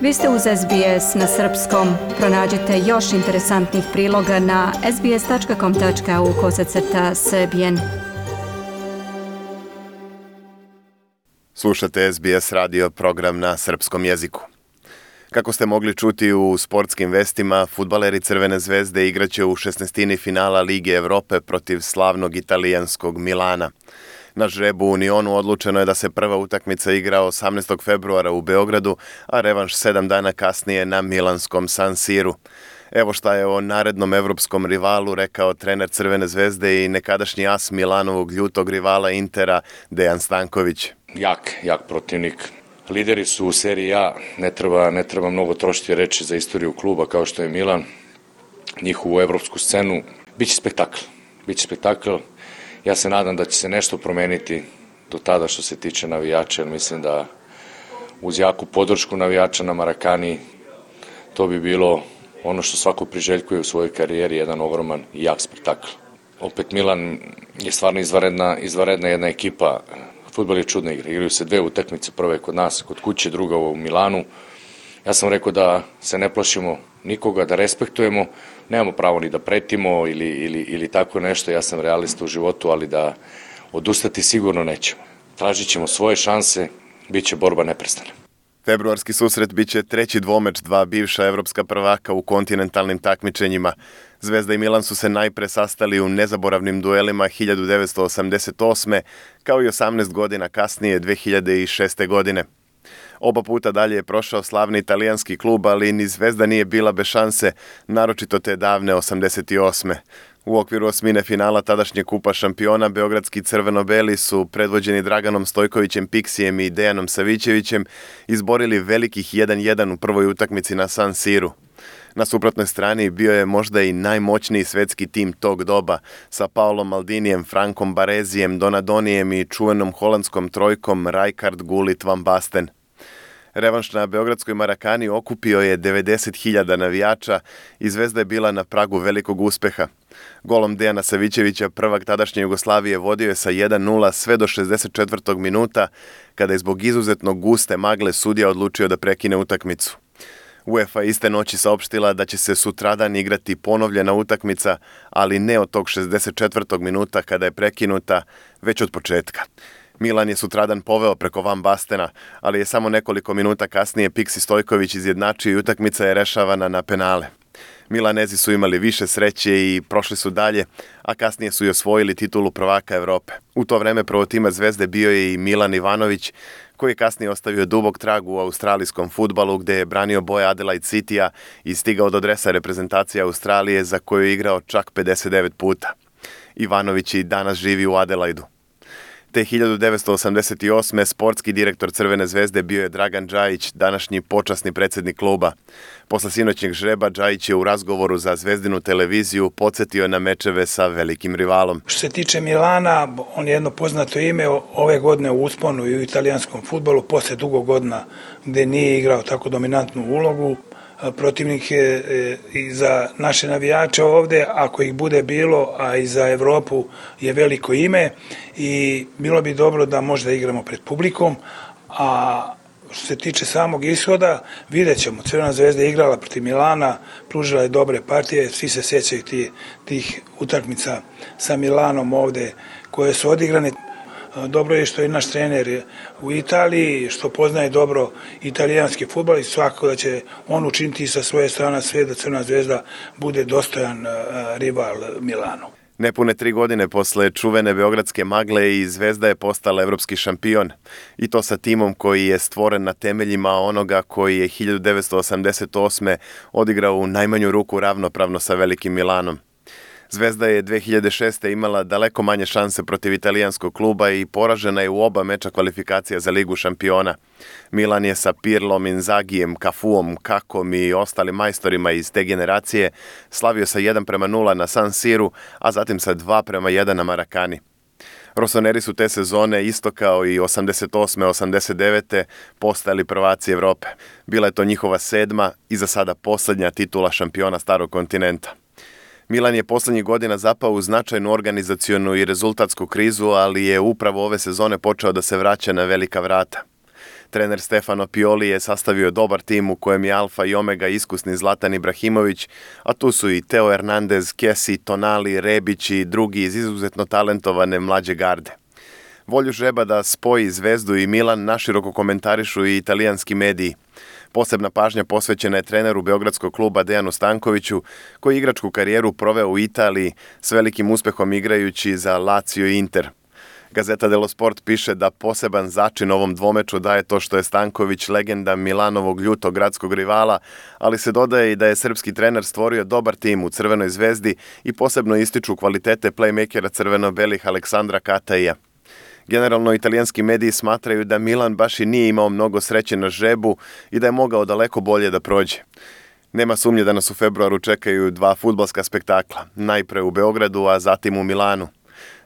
Vi ste uz SBS na srpskom. Pronađite još interesantnih priloga na sbs.com.au/srbijen. Slušate SBS radio program na srpskom jeziku. Kako ste mogli čuti u sportskim vestima, fudbaleri Crvene zvezde igraće u 16. finala Lige Evrope protiv slavnog italijanskog Milana. Na žrebu u Unionu odlučeno je da se prva utakmica igra 18. februara u Beogradu, a revanš 7 dana kasnije na milanskom San Siru. Evo šta je o narednom evropskom rivalu rekao trener Crvene zvezde i nekadašnji as Milanovog ljutog rivala Intera Dejan Stanković. Jak protivnik. Lideri su u seriji A, ne treba mnogo trošiti reči za istoriju kluba kao što je Milan, njihovu evropsku scenu. Biće spektakl. Ja se nadam da će se nešto promeniti do tada što se tiče navijača, jer mislim da uz jaku podršku navijača na Marakani to bi bilo ono što svako priželjkuje u svojoj karijeri, jedan ogroman i jak spektakl. Opet Milan je stvarno izvanredna jedna ekipa. Fudbal je čudna igra. Igraju se 2 utakmice, prve kod nas, kod kuće, druga u Milanu. Ja sam rekao da se ne plašimo nikoga, da respektujemo, nemamo pravo ni da pretimo ili tako nešto. Ja sam realista u životu, ali da odustati sigurno nećemo. Tražit ćemo svoje šanse, bit će borba neprestana. Februarski susret biće treći dvomeč 2 bivša evropska prvaka u kontinentalnim takmičenjima. Zvezda i Milan su se najpre sastali u nezaboravnim duelima 1988. kao i 18 godina kasnije 2006. godine. Oba puta dalje je prošao slavni italijanski klub, ali ni Zvezda nije bila bez šanse, naročito te davne 88. U okviru osmine finala tadašnje Kupa šampiona, beogradski crveno-beli su, predvođeni Draganom Stojkovićem Piksijem i Dejanom Savićevićem, izborili velikih 1-1 u prvoj utakmici na San Siru. Na suprotnoj strani bio je možda i najmoćniji svetski tim tog doba, sa Paolom Maldinijem, Frankom Barezijem, Donadonijem i čuvenom holandskom trojkom Rijkaard, Gullit, Van Basten. Revanš na beogradskoj Marakani okupio je 90.000 navijača i Zvezda je bila na pragu velikog uspeha. Golom Dejana Savićevića prvak tadašnje Jugoslavije vodio je sa 1-0 sve do 64. minuta, kada je zbog izuzetno guste magle sudija odlučio da prekine utakmicu. UEFA iste noći saopštila da će se sutradan igrati ponovljena utakmica, ali ne od tog 64. minuta kada je prekinuta, već od početka. Milan je sutradan poveo preko Van Bastena, ali je samo nekoliko minuta kasnije Piksi Stojković izjednačio i utakmica je rešavana na penale. Milanezi su imali više sreće i prošli su dalje, a kasnije su i osvojili titulu prvaka Evrope. U to vreme prvotimac Zvezde bio je i Milan Ivanović, koji je kasnije ostavio dubok trag u australijskom fudbalu gde je branio boje Adelaide Citya i stigao do dresa reprezentacije Australije za koju je igrao čak 59 puta. Ivanović i danas živi u Adelaidu. Te 1988. sportski direktor Crvene zvezde bio je Dragan Džajić, današnji počasni predsjednik kluba. Posle sinoćnjeg žreba Džajić je u razgovoru za Zvezdinu televiziju podsjetio na mečeve sa velikim rivalom. Što se tiče Milana, on je jedno poznato ime ove godine u usponu i u italijanskom fudbalu, posle dugo godina gde nije igrao tako dominantnu ulogu. Protivnik je i za naše navijače ovde, ako ih bude bilo, a i za Evropu je veliko ime i bilo bi dobro da možda igramo pred publikom, a što se tiče samog ishoda, vidjet ćemo. Crvena zvezda je igrala protiv Milana, pružila je dobre partije, svi se sjećaju tih utakmica sa Milanom ovde koje su odigrane. Dobro je što je naš trener u Italiji, što poznaje dobro italijanski fudbal i svakako da će on učiniti sa svoje strane sve da Crvena zvezda bude dostojan rival Milanu. Nepune 3 godine posle čuvene beogradske magle i Zvezda je postala evropski šampion. I to sa timom koji je stvoren na temeljima onoga koji je 1988. odigrao u najmanju ruku ravnopravno sa velikim Milanom. Zvezda je 2006. imala daleko manje šanse protiv italijanskog kluba i poražena je u oba meča kvalifikacija za Ligu šampiona. Milan je sa Pirlom, Inzagijem, Cafuom, Kakom i ostalim majstorima iz te generacije slavio sa 1-0 na San Siru, a zatim sa 2-1 na Marakani. Rosoneri su te sezone, isto kao i 88-89. postali prvaci Evrope. Bila je to njihova 7. i za sada poslednja titula šampiona starog kontinenta. Milan je poslednjih godina zapao u značajnu organizacionu i rezultatsku krizu, ali je upravo ove sezone počeo da se vraća na velika vrata. Trener Stefano Pioli je sastavio dobar tim u kojem je alfa i omega iskusni Zlatan Ibrahimović, a tu su i Teo Hernandez, Kesi, Tonali, Rebić i drugi iz izuzetno talentovane mlađe garde. Volju žreba da spoji Zvezdu i Milan naširoko komentarišu i italijanski mediji. Posebna pažnja posvećena je treneru beogradskog kluba Dejanu Stankoviću, koji je igračku karijeru proveo u Italiji s velikim uspehom igrajući za Lazio i Inter. Gazeta dello Sport piše da poseban začin ovom dvomeču daje to što je Stanković legenda Milanovog ljutog gradskog rivala, ali se dodaje i da je srpski trener stvorio dobar tim u Crvenoj Zvezdi i posebno ističu kvalitete playmakera crveno-belih Aleksandra Kataija. Generalno, italijanski mediji smatraju da Milan baš i nije imao mnogo sreće na žrebu i da je mogao daleko bolje da prođe. Nema sumnje da nas u februaru čekaju 2 fudbalska spektakla, najpre u Beogradu, a zatim u Milanu.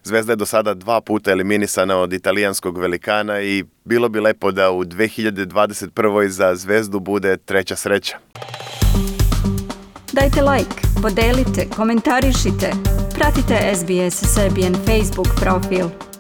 Zvezda je do sada 2 puta eliminisana od italijanskog velikana i bilo bi lepo da u 2021. za Zvezdu bude treća sreća. Dajte like, podelite, komentarišite, pratite SBS Serbian Facebook profil.